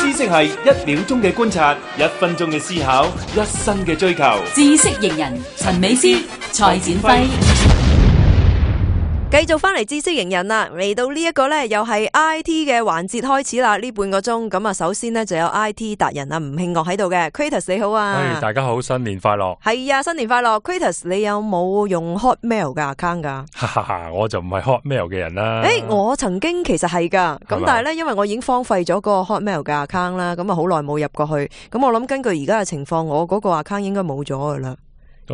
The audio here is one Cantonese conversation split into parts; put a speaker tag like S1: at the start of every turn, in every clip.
S1: 知識係1秒鐘嘅觀察，1分鐘嘅思考，1生嘅追求。
S2: 知識型人陳美詩、蔡展輝。
S3: 繼續翻嚟知識型人啦，嚟到呢一個呢，又係 IT 嘅環節開始啦，呢半個鐘咁啊，首先呢，就有 IT 達人啊吳慶岳喺度嘅 Kratos 你好啊，
S4: 大家好，新年快樂。
S3: 係啊，新年快樂。 Kratos 你有冇用 Hotmail 嘅 account 噶？
S4: 我就唔係 Hotmail 嘅人啦。
S3: 我曾經其實係噶，咁但係呢，因為我已經荒廢咗個 Hotmail 嘅 account 啦，咁啊好耐冇入過去，咁我諗根據而家嘅情況，我嗰個 account 應該冇咗噶啦。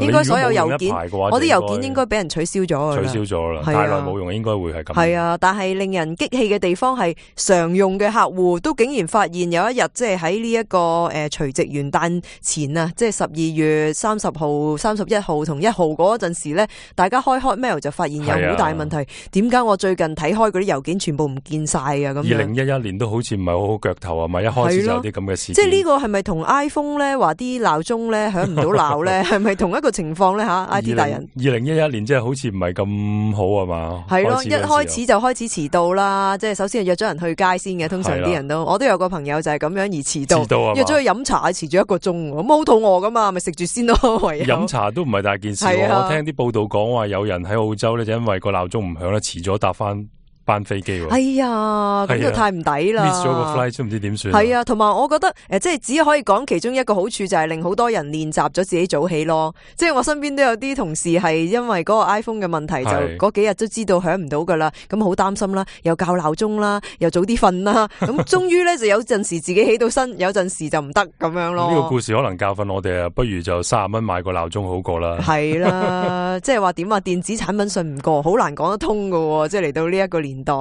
S3: 應該所有郵件，我啲郵件應該俾人取消咗
S4: 取消咗啦，太耐冇用，應該會係咁。
S3: 係啊，但係令人激氣嘅地方係常用嘅客戶都竟然發現有一日，即係喺呢一個除夕元旦前啊，即係12月30號、31號同1號嗰陣時咧，大家開 Hotmail 就發現有好大問題。點解我最近睇開嗰啲郵件全部唔見晒啊？咁
S4: 2011年都好似唔係好好腳頭啊嘛，一開始就有啲咁嘅事。
S3: 即係呢個係咪同 iPhone 咧話啲鬧鐘咧響唔到鬧咧？係咪同一個情況咧吓 ？IT 大人
S4: 2011年即係好似唔係咁好啊嘛？
S3: 係咯，一開始就開始遲到啦，即係首先係約咗人去街先嘅，通常啲人都，我都有個朋友就係咁樣而遲到，約咗去飲茶，遲咗1個鐘，咁好肚餓噶嘛，咪食住先咯。
S4: 飲茶都唔係大件事，我聽啲報道講話有人喺澳洲咧，就因為個鬧鐘唔響咧，遲咗搭翻班飛機喎。
S3: 哎呀，咁就太唔抵啦
S4: ，miss 咗個 flight 都唔知點算。
S3: 係啊，同埋我覺得即係只可以講其中一個好處就係令好多人練習咗自己早起咯。即係我身邊都有啲同事係因為嗰個 iPhone 嘅問題，就嗰幾日都知道響唔到噶啦，咁好擔心啦，又校鬧鐘啦，又早啲瞓啦，咁終於咧就有陣時自己起到身，有陣時就唔得咁樣咯。
S4: 呢個故事可能教訓我哋啊，不如就30蚊買個鬧鐘好過啦。
S3: 係啦，即係話點啊？電子產品信唔過，好難講得通噶。即係嚟到呢一個年代，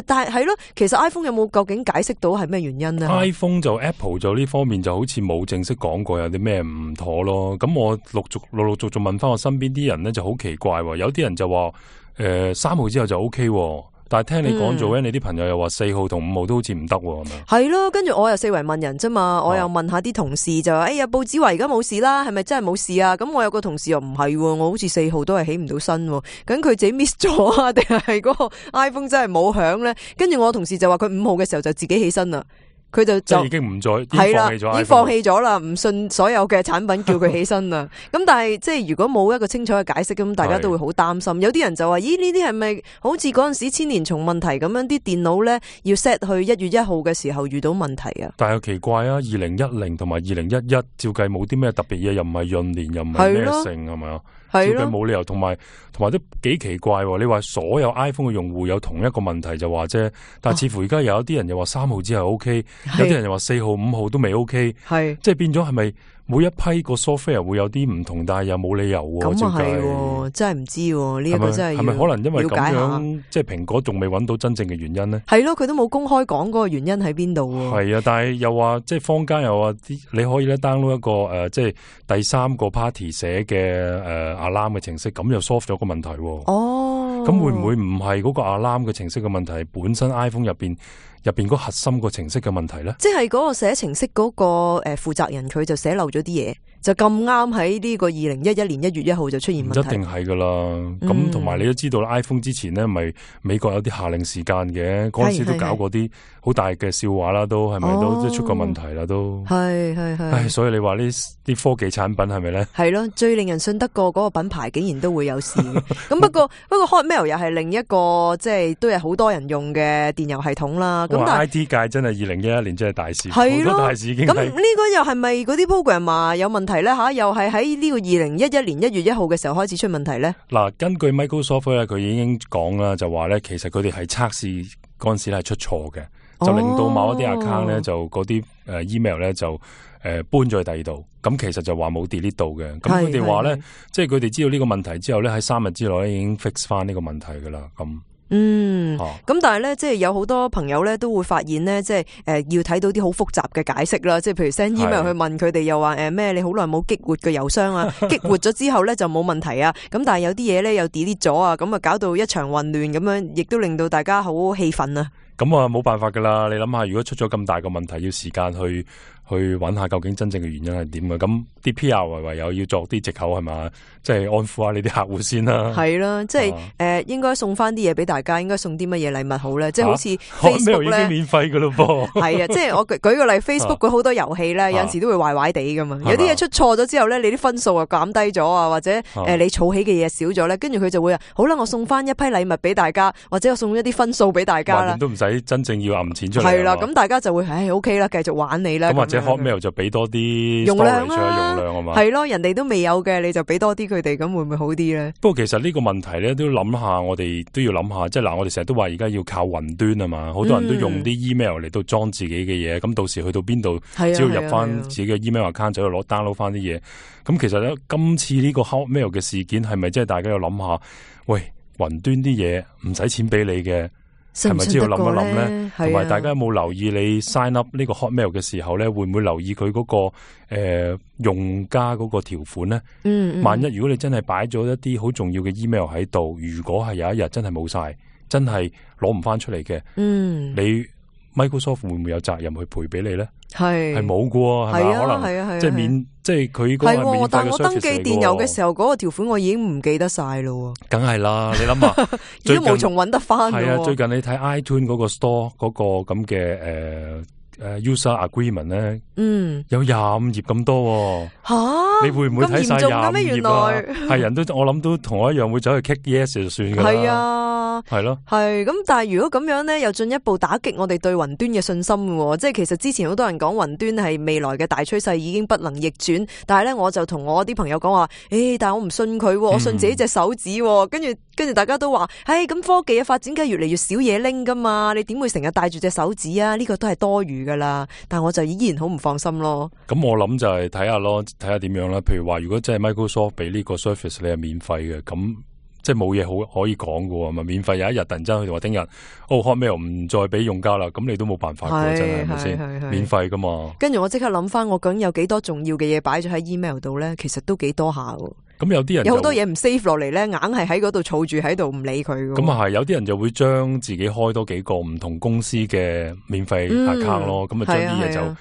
S3: 但係係咯，其實 iPhone 有冇究竟解釋到係咩原因呢？
S4: iPhone 就 Apple 就呢方面就好似冇正式講過有啲咩唔妥咯。咁我陸陸續續問翻我身邊啲人咧，就好奇怪，有啲人就話3號之後就 OK，但係聽你講做咧，你啲朋友又話4號同5號都好似唔得，係咪？
S3: 係咯，跟住我又四圍問人啫嘛，我又問下啲同事就話，哎呀，報紙話而家冇事啦，係咪真係冇事啊？咁我有個同事又唔係，我好似4號都係起唔到身，咁佢自己 miss 咗啊，定係嗰個 iPhone 真係冇響咧？跟住我同事就話佢5號嘅時候就自己起身啦。佢就
S4: 已經唔再
S3: 係啦，已經放棄咗啦，唔信所有嘅產品叫佢起身啦。咁但係即係如果冇一個清楚嘅解釋，咁大家都會好擔心。有啲人就話：咦，呢啲係咪好似嗰陣時千年蟲問題咁樣？啲電腦咧要 set 去1月1號嘅時候遇到問題啊？
S4: 但係又奇怪啊！2010同埋2011照計冇啲咩特別嘢，又唔係閏年，又唔係咩性，係咪啊？照計冇理由，同埋都幾奇怪。你話所有 iPhone 嘅用戶有同一個問題就話啫，但係似乎而家有一啲人又話3號之後 OK，有啲人又話4號、5號都未 OK，即係變咗係咪每一批個 software 會有啲唔同，但係又冇理由喎？
S3: 咁啊係，真係唔知呢一個真係
S4: 係咪可能因為咁樣，即係蘋果仲未揾到真正嘅原因呢？
S3: 係咯，佢都冇公開講嗰個原因喺邊度。
S4: 係啊，但係又話即係坊間又話你可以咧 download 一個即係第三個 party 寫嘅alarm 嘅程式，咁又 solve 咗個問題。哦，咁會唔會唔係嗰個 alarm 嘅程式嘅問題，本身 iPhone 入邊嗰核心個程式嘅問題咧？即係
S3: 嗰個寫程式嗰個負責人，佢就寫漏咗啲嘢，就咁啱喺呢個2011年1月1號就出現問題。
S4: 唔一定係噶啦，咁同埋你都知道 iPhone 之前咧，咪美國有啲下令時間嘅，嗰陣時都搞過啲好大嘅笑話啦，都係咪都出過問題啦？都係，所以你話呢啲科技產品係咪咧？係咯，最令人信得過嗰個品牌竟然都會有事嘅。咁不過 Hotmail 又係另一個即係都有好多人用嘅電郵系統啦。咁但係 IT 界真係2011年真係大事，好多大事已經。咁呢個又係咪嗰啲 program 有問題咧？吓，又係喺呢個2011年1月1號嘅時候開始出問題咧？嗱，根據 Microsoft 咧，佢已經講啦，就話咧，其實佢哋係測試嗰陣時係出錯嘅，就令到某一啲 account 咧，就嗰啲email 咧就搬咗去第二度。咁其實就話冇 delete 到嘅。咁佢哋話咧，即係佢哋知道呢個問題之後咧，喺3日之內已經 fix 翻呢個問題噶啦。咁但係咧，即係有好多朋友咧都會發現咧，即係要睇到啲好複雜嘅解釋啦。即係譬如 send email 去問佢哋，又話咩你好耐冇激活嘅郵箱啊，激活咗之後咧就冇問題啊。咁但係有啲嘢咧又 delete 咗啊，咁啊搞到一場混亂咁樣，亦都令到大家好氣憤啊。咁啊冇辦法噶啦，你諗下，如果出咗咁大個問題，要時間去揾下究竟真正嘅原因係點嘅，咁啲 PR 唯有要作啲藉口係嘛，即係安撫下你啲客戶先啦。
S3: 係啦，即係應該送翻啲嘢俾大家，應該送啲乜嘢禮物好咧？即係好似 Facebook 咧，
S4: 已經免費噶咯噃。
S3: 係啊，即係我舉個例 ，Facebook 嗰好多遊戲咧，有陣時都會壞壞地噶嘛。有啲嘢出錯咗之後咧，你啲分數啊減低咗啊，或者你儲起嘅嘢少咗咧，跟住佢就會好啦，我送翻一批禮物俾大家，或者我送一啲分數俾大家啦。
S4: 都唔使真正要揞錢出嚟。
S3: 係啦，咁大家就會OK 啦，繼續玩你啦。
S4: 咁或者 Hotmail 就俾多啲
S3: 容量啦，
S4: 容量啊嘛。
S3: 係咯，人哋都未有嘅，你就俾多啲佢哋，咁會唔會好啲咧？
S4: 不過其實呢個問題咧，都諗下，我哋都要諗下，即係嗱，我哋成日都話而家要靠雲端啊嘛，好多人都用啲 email 嚟到裝自己嘅嘢，咁到時去到邊度，只要入翻自己嘅 email account 就攞 download 翻啲嘢。咁其實咧，今次呢個 Hotmail 嘅事件係咪即係大家要諗下？喂，雲端啲嘢唔使錢俾你嘅。係咪知要諗一諗咧？同埋大家有冇留意你 sign up 呢個 Hotmail 嘅時候咧，會唔會留意佢嗰個用家嗰個條款咧？萬一如果你真係擺咗一啲好重要嘅 email 喺度，如果係有一日真係冇晒，真係攞唔翻出嚟嘅，你 Microsoft 會唔會有責任去賠俾你咧？係冇噶喎，係咪？可能即係免，即係佢嗰個係免費嘅 service 嚟嘅。但我登記電郵嘅時候，嗰個條款我已經唔記得晒咯。梗係啦，你諗下，
S3: 已經無從揾得翻。
S4: 係啊，最近你睇 iTunes 嗰個 store 嗰個咁嘅user agreement 咧，有25頁咁多。吓，你會唔會睇晒25頁啊？係人都，我諗都同我一樣會走去 click yes 就算噶啦。係啊，係咯，係咁。但係如果咁樣咧，又進一步打擊我哋對雲端嘅信心嘅。即係其實之前好多人講雲端係未來嘅大趨勢，已經不能逆轉。但係咧，我就同我啲朋友講話，但係我唔信佢，我信自己隻手指。跟住大家都話，咁科技嘅發展梗係越嚟越少嘢拎噶嘛，你點會成日帶住隻手指啊？呢個都係多餘噶啦。但係我就依然好唔放心咯。咁我諗就係睇下咯，睇下點樣啦。譬如話，如果真係 Microsoft 俾呢個 service 你係免費嘅，咁即係冇嘢好可以講嘅，咪免費有一日突然間佢哋話聽日Hotmail 唔再俾用家啦，咁你都冇辦法嘅，真係係咪先？免費噶嘛。跟住我即刻諗翻，我究竟有幾多重要嘅嘢擺咗喺 email 度咧？其實都幾多下。咁有啲人有好多嘢唔 save 落嚟咧，硬係喺嗰度儲住喺度唔理佢。咁啊係，有啲人就會將自己開多幾個唔同公司嘅免費 account 咯，咁啊將啲嘢就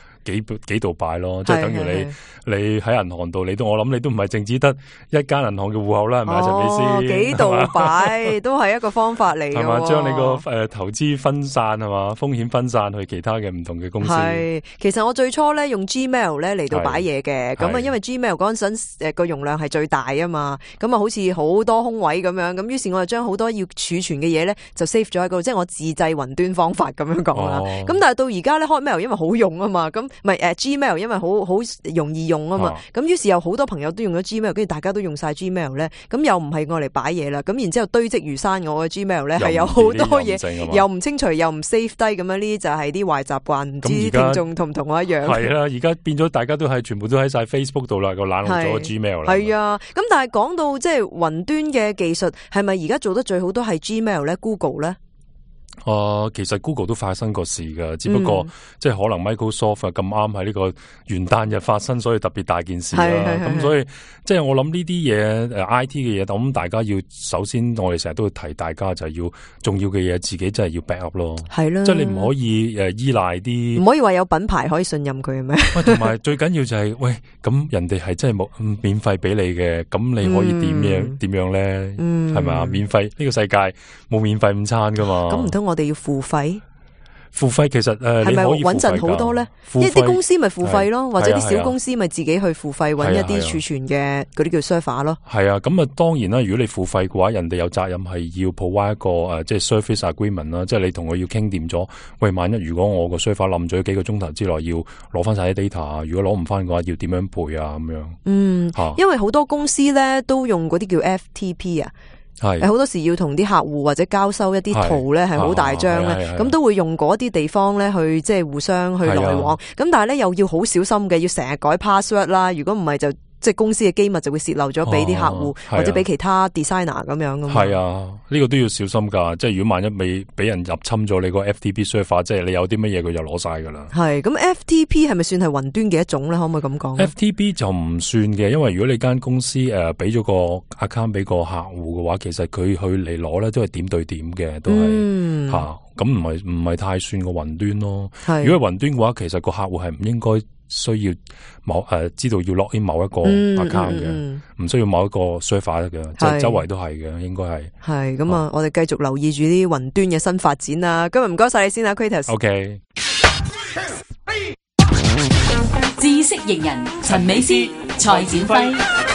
S4: 幾度擺咯，即係等於你喺銀行度，我諗你都唔係淨止得一間銀行嘅戶口啦，係咪啊？陳美師，幾度擺都係一個方法嚟嘅，係嘛？將你個投資分散係嘛，風險分散去其他嘅唔同嘅公司。係，其實我最初咧用 Gmail 咧嚟到擺嘢嘅，咁啊因為 Gmail 嗰陣時個容量係最大啊嘛，咁啊好似好多空位咁樣，咁於是我就將好多要儲存嘅嘢咧就 save 咗喺嗰度，即係我自製雲端方法咁樣講啦。咁但係到而家咧 Hotmail 因為好用啊嘛，咁唔係Gmail 因為好容易用啊嘛，咁於是有好多朋友都用咗 Gmail， 跟住大家都用晒 Gmail 咧，咁又唔係我嚟擺嘢啦，咁然之後堆積如山，我嘅 Gmail 咧係有好多嘢，又唔清除又唔 save 低咁樣，呢啲就係啲壞習慣，唔知聽眾同唔同我一樣？係啦，而家變咗大家都係全部都喺晒 Facebook 度啦，個冷落咗個 Gmail 啦。係啊，咁但係講到即係雲端嘅技術，係咪而家做得最好都係 Gmail 咧 ，Google 咧？其實 Google 都發生過事噶，只不過即係可能 Microsoft 咁啱喺呢個元旦日發生，所以特別大件事啦。咁所以即係我諗呢啲嘢IT 嘅嘢，咁大家要首先我哋成日都會提大家就係要重要嘅嘢，自己真係要 back up 咯。係啦，即係你唔可以依賴啲，唔可以話有品牌可以信任佢嘅咩？同埋最緊要就係喂，咁人哋係真係冇免費俾你嘅，咁你可以點樣咧？係咪啊？免費呢個世界冇免費午餐噶嘛？咁唔通我哋要付費？付費其實係咪穩陣好多咧？一啲公司咪付費咯，或者啲小公司咪自己去付費揾一啲儲存嘅嗰啲叫 server 咯。係啊，咁啊當然啦，如果你付費嘅話，人哋有責任係要 provide 一個即係 service agreement 啦，即係你同佢要傾掂咗。喂，萬一如果我個 server 冧咗幾個鐘頭之內，要攞翻晒啲 data，如果攞唔翻嘅話，要點樣賠啊？咁樣。因為好多公司咧都用嗰啲叫 FTP 啊。係好多時要同啲客戶或者交收一啲圖咧，係好大張咧，咁都會用嗰啲地方咧去即係互相去來往。咁但係咧又要好小心嘅，要成日改 password 啦。如果唔係就即係公司嘅機密就會洩漏咗俾啲客戶或者俾其他 designer 咁樣噶嘛。係啊，呢個都要小心噶。即係如果萬一未俾人入侵咗你個 FTP server，即係你有啲乜嘢佢就攞晒噶啦。係咁 FTP 係咪算係雲端嘅一種咧？可唔可以咁講？FTP 就唔算嘅，因為如果你間公司俾咗個 account 俾個客戶嘅話，其實佢去嚟攞咧都係點對點嘅，都係吓。咁唔係太算個雲端咯。如果係雲端嘅話，其實個客戶係唔應該需要知道要 log in 某一個 account 嘅，唔需要某一個 server 嘅，即係周圍都係嘅，應該係。
S3: 係咁啊！我哋繼續留意住啲雲端嘅新發展啦。今日唔該晒你先啊 ，Kratos。
S4: OK。
S2: 知識型人陳美詩、蔡展輝。